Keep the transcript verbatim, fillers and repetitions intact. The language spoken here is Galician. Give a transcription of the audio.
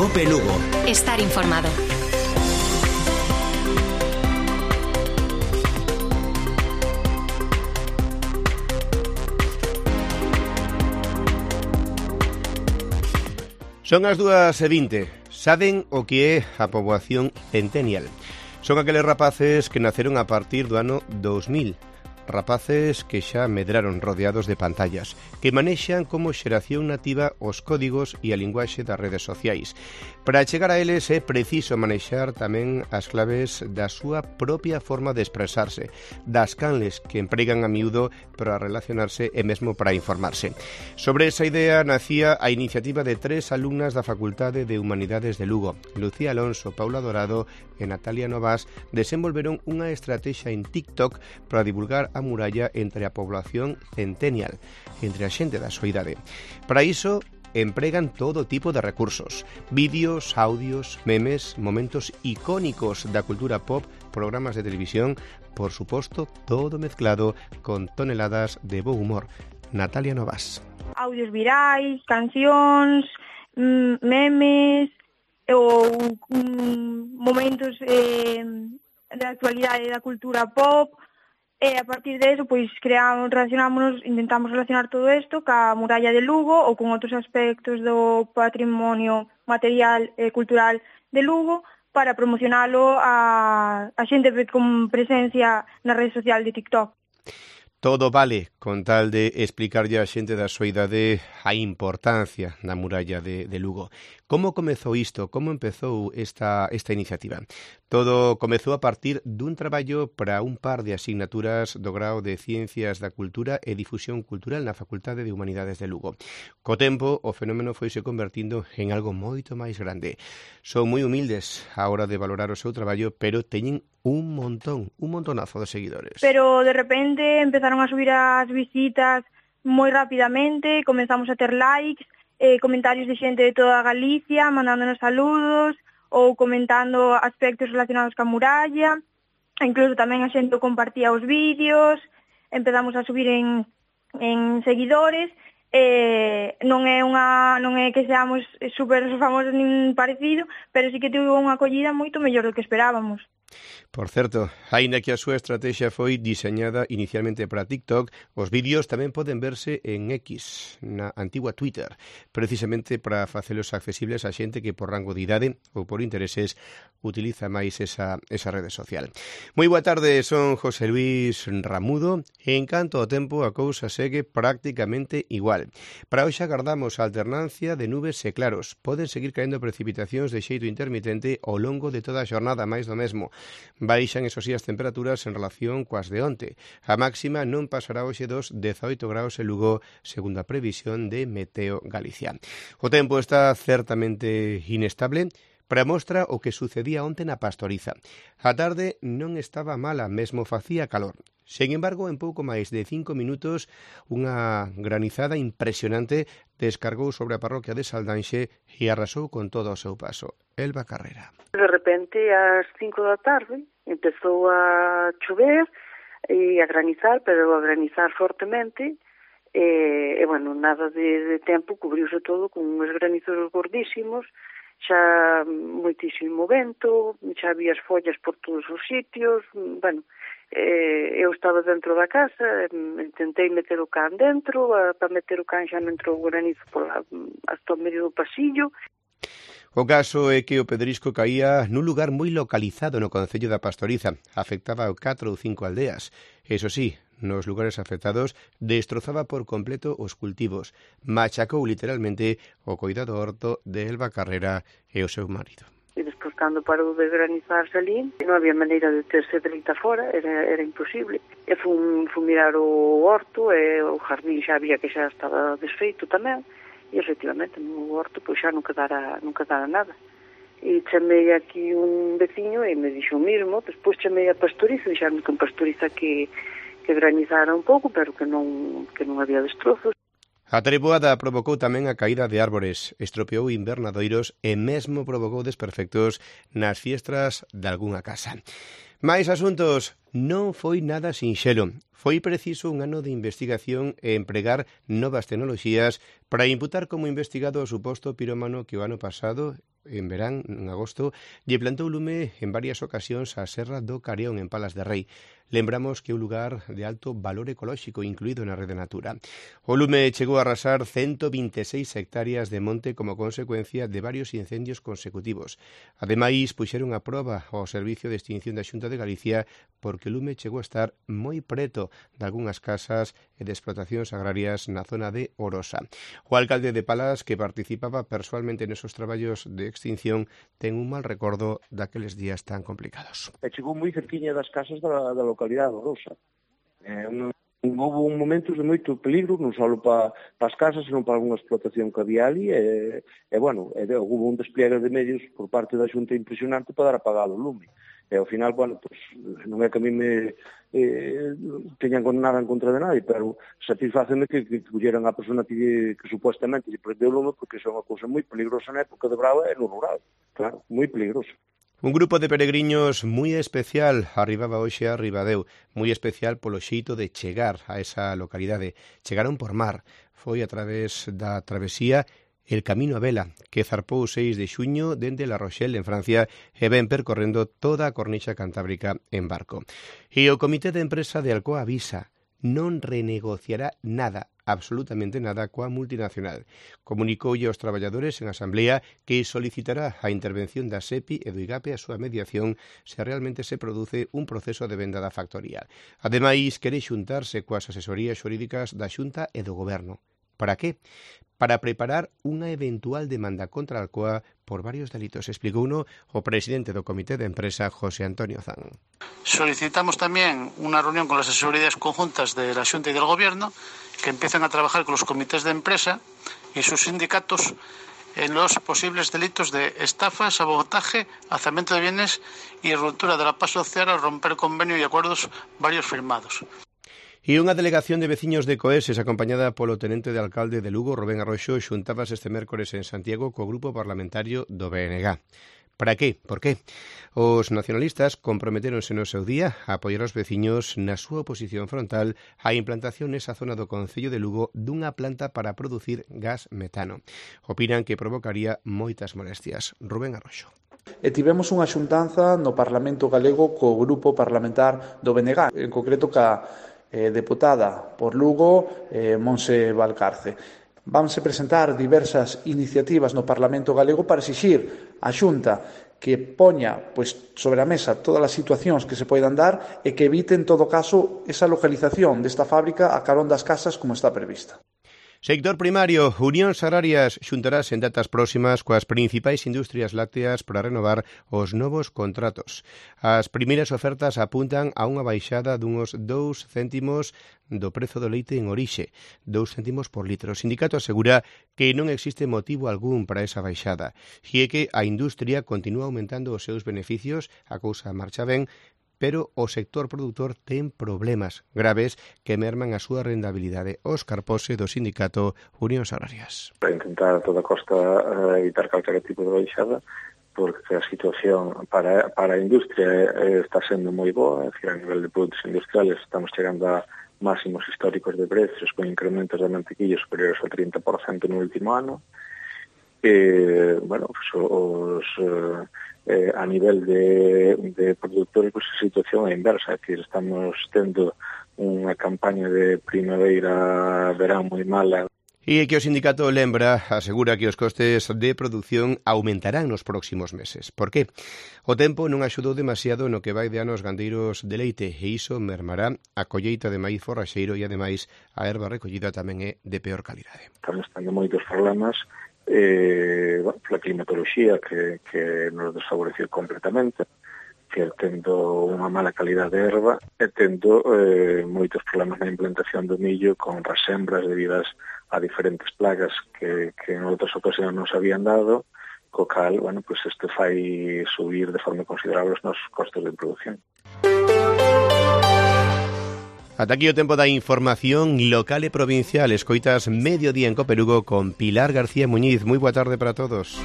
Cope Lugo. Estar informado. Son as dúas e vinte. Saben o que é a poboación centennial? Son aqueles rapaces que naceron a partir do ano dous mil. Rapaces que xa medraron rodeados de pantallas, que manexan como xeración nativa os códigos e a linguaxe das redes sociais. Para chegar a eles é preciso manexar tamén as claves da súa propia forma de expresarse, das canles que empregan a miúdo para relacionarse e mesmo para informarse. Sobre esa idea nacía a iniciativa de tres alumnas da Facultade de Humanidades de Lugo. Lucía Alonso, Paula Dorado e Natalia Novas desenvolveron unha estrategia en TikTok para divulgar a muralla entre a población centennial, entre a xente da súa idade. Para iso, empregan todo tipo de recursos, vídeos, audios, memes, momentos icónicos da cultura pop, programas de televisión, por suposto, todo mezclado con toneladas de bo humor. Natalia Novas. Audios virais, cancións, memes ou momentos eh, da actualidade da cultura pop. E a partir de eso, pois, creamos, relacionámonos, intentamos relacionar todo isto ca muralla de Lugo ou con outros aspectos do patrimonio material e cultural de Lugo para promocionalo a, a xente con presencia na rede social de TikTok. Todo vale con tal de explicarlle a xente da súa idade a importancia da muralla de, de Lugo. Como comezou isto? Como empezou esta, esta iniciativa? Todo comezou a partir dun traballo para un par de asignaturas do grao de Ciencias da Cultura e Difusión Cultural na Facultade de Humanidades de Lugo. Co tempo, o fenómeno foise convertindo en algo moito máis grande. Son moi humildes á hora de valorar o seu traballo, pero teñen un montón, un montonazo de seguidores. Pero de repente empezaron a subir as visitas moi rapidamente, comenzamos a ter likes, eh, comentarios de xente de toda Galicia, mandándonos saludos, ou comentando aspectos relacionados ca muralla, incluso tamén a xente compartía os vídeos, empezamos a subir en, en seguidores, eh, non é unha non é que seamos super famosos nin parecido, pero sí que tivo unha acollida moito mellor do que esperábamos. Por certo, aínda que a súa estrategia foi diseñada inicialmente para TikTok, os vídeos tamén poden verse en X, na antigua Twitter, precisamente para facelos accesibles a xente que por rango de idade ou por intereses utiliza máis esa, esa rede social. Moi boa tarde, son José Luis Ramudo e en canto ao tempo a cousa segue prácticamente igual. Para hoxe agardamos a alternancia de nubes e claros. Poden seguir caendo precipitacións de xeito intermitente ao longo de toda a xornada, máis do mesmo. Baixan, eso sí, as temperaturas en relación coas de onte. A máxima non pasará hoxe dos dezaoito graus en Lugo, segundo a previsión de Meteo Galicia. O tempo está certamente inestable. Para mostra o que sucedía onte na Pastoriza. A tarde non estaba mala, mesmo facía calor. Sen embargo, en pouco máis de cinco minutos, unha granizada impresionante descargou sobre a parroquia de Saldanxe e arrasou con todo o seu paso. Elba Carrera. De repente, ás cinco da tarde, empezou a chover e a granizar, pero a granizar fortemente, e, e bueno, nada de, de tempo, cubriuse todo con uns granizos gordísimos, xa moitísimo vento, xa había as follas por todos os sitios, bueno, eh, eu estaba dentro da casa, intentei meter o can dentro, para meter o can xa non entrou o granizo por la, hasta o medio do pasillo. O caso é que o pedrisco caía nun lugar moi localizado no concello da Pastoriza, afectaba a catro ou cinco aldeas. Eso sí, nos lugares afectados destrozaba por completo os cultivos, machacou literalmente o coidado horto de Elba Carrera e o seu marido. E despois, cando parou de granizar salín, non había maneira de terse dereita fora, era, era imposible. E fun, fun mirar o horto, e o jardín xa había que xa estaba desfeito tamén, e efectivamente no horto pois xa non quedara, non quedara nada. E chamei aquí un veciño e me dixo o mismo, despois chamei a Pastoriza, dixaron que en Pastoriza que que granizara un pouco, pero que non, que non había destrozos. A treboada provocou tamén a caída de árbores, estropeou invernadoiros e mesmo provocou desperfectos nas fiestras de algunha casa. Máis asuntos. Non foi nada sinxelo. Foi preciso un ano de investigación e empregar novas tecnoloxías para imputar como investigado o suposto pirómano que o ano pasado, en verán, en agosto, lle plantou lume en varias ocasións á Serra do Careón en Palas de Rei. Lembramos que é un lugar de alto valor ecolóxico incluído na Rede Natura. O lume chegou a arrasar ciento veintiséis hectáreas de monte como consecuencia de varios incendios consecutivos. Ademais, puxeron a proba ao Servicio de Extinción da Xunta de Galicia porque o lume chegou a estar moi preto de algunhas casas e de explotacións agrarias na zona de Orosa. O alcalde de Palas, que participaba persoalmente nesos traballos de extinción, ten un mal recordo daqueles días tan complicados. E chegou moi cerquiña das casas da, da localidade de Orosa. Eh, un, houve un momentos de moito peligro, non só para pa as casas, senón para algunha explotación que había ali, e, e bueno, e, houve un despliegue de medios por parte da Xunta impresionante para dar apagado o lume. E ao final, bueno, pues, non é que a mí me eh, teñan nada en contra de nadie, pero satisfáceme que, que colleran a persona que, que supuestamente lle prendeu o lume, porque iso é unha cousa moi peligrosa na época de Brava e no rural, claro, moi peligroso. Un grupo de peregriños moi especial arribaba hoxe a Ribadeo, moi especial polo xeito de chegar a esa localidade. Chegaron por mar, foi a través da travesía El Camino a Vela, que zarpou o seis de xuño dende La Rochelle, en Francia, e ven percorrendo toda a cornixa cantábrica en barco. E o Comité de Empresa de Alcoa avisa, non renegociará nada, absolutamente nada, coa multinacional. Comunicoulle aos traballadores en asamblea que solicitará a intervención da SEPI e do IGAPE a súa mediación se realmente se produce un proceso de venda da factoría. Ademais, quere xuntarse coas asesorías xurídicas da Xunta e do Goberno. Para qué? Para preparar unha eventual demanda contra Alcoa por varios delitos, explicouno o presidente do Comité de Empresa, José Antonio Zan. Solicitamos también una reunión con las asesorías conjuntas de la Xunta y del Gobierno que empiecen a trabajar con los comités de empresa y sus sindicatos en los posibles delitos de estafa, sabotaje, alzamiento de bienes y ruptura de la paz social al romper convenio y acuerdos varios firmados. E unha delegación de veciños de Coeses, acompañada polo tenente de alcalde de Lugo, Rubén Arroxo, xuntabas este mércores en Santiago co grupo parlamentario do B N G. Para qué? Por qué? Os nacionalistas comprometeronse no seu día a apoiar os veciños na súa oposición frontal á implantación nesa zona do Concello de Lugo dunha planta para producir gas metano. Opinan que provocaría moitas molestias. Rubén Arroxo. E tivemos unha xuntanza no Parlamento Galego co grupo parlamentar do B N G, en concreto ca eh, deputada por Lugo, eh, Monse Valcarce. Vanse presentar diversas iniciativas no Parlamento Galego para exixir á Xunta que poña pois, sobre a mesa todas as situacións que se poidan dar e que evite, en todo caso, esa localización desta fábrica a carón das casas como está prevista. Sector primario, Unións Agrarias xuntarás en datas próximas coas principais industrias lácteas para renovar os novos contratos. As primeiras ofertas apuntan a unha baixada dunhos dous céntimos do prezo do leite en orixe, dous céntimos por litro. O sindicato asegura que non existe motivo algún para esa baixada, e é que a industria continúa aumentando os seus beneficios, a cousa marcha ben, pero o sector produtor ten problemas graves que merman a súa rentabilidade. Óscar Pose, do sindicato Unións Agrarias. Para intentar a toda costa evitar calquera tipo de baixada, porque a situación para, para a industria está sendo moi boa, é dicir, a nivel de produtos industriales estamos chegando a máximos históricos de precios con incrementos de mantequilla superiores ao trinta por cento no último ano. E, bueno, pues, os... Eh, a nivel de, de productores, pues, a situación é inversa, é dicir, estamos tendo unha campaña de primavera-verán moi mala. E que o sindicato lembra, asegura que os costes de produción aumentarán nos próximos meses. Por qué? O tempo non axudou demasiado no que vai de ano aos gandeiros de leite e iso mermará a colleita de maíz forraxeiro e, ademais, a erva recollida tamén é de peor calidade. Estamos tendo moitos problemas eh, bueno, la climatoloxía que, que nos desfavoreceu completamente, que tendo unha mala calidad de erva e tendo eh, moitos problemas na implantación do millo con rasembras debidas a diferentes plagas que, que en outras ocasións non se habían dado, co cal, bueno, pues isto fai subir de forma considerable os nosos costos de producción. Ata aquí o tempo da información local e provincial. Escoitas Mediodía en Coperugo con Pilar García Muñiz. Moi boa tarde para todos.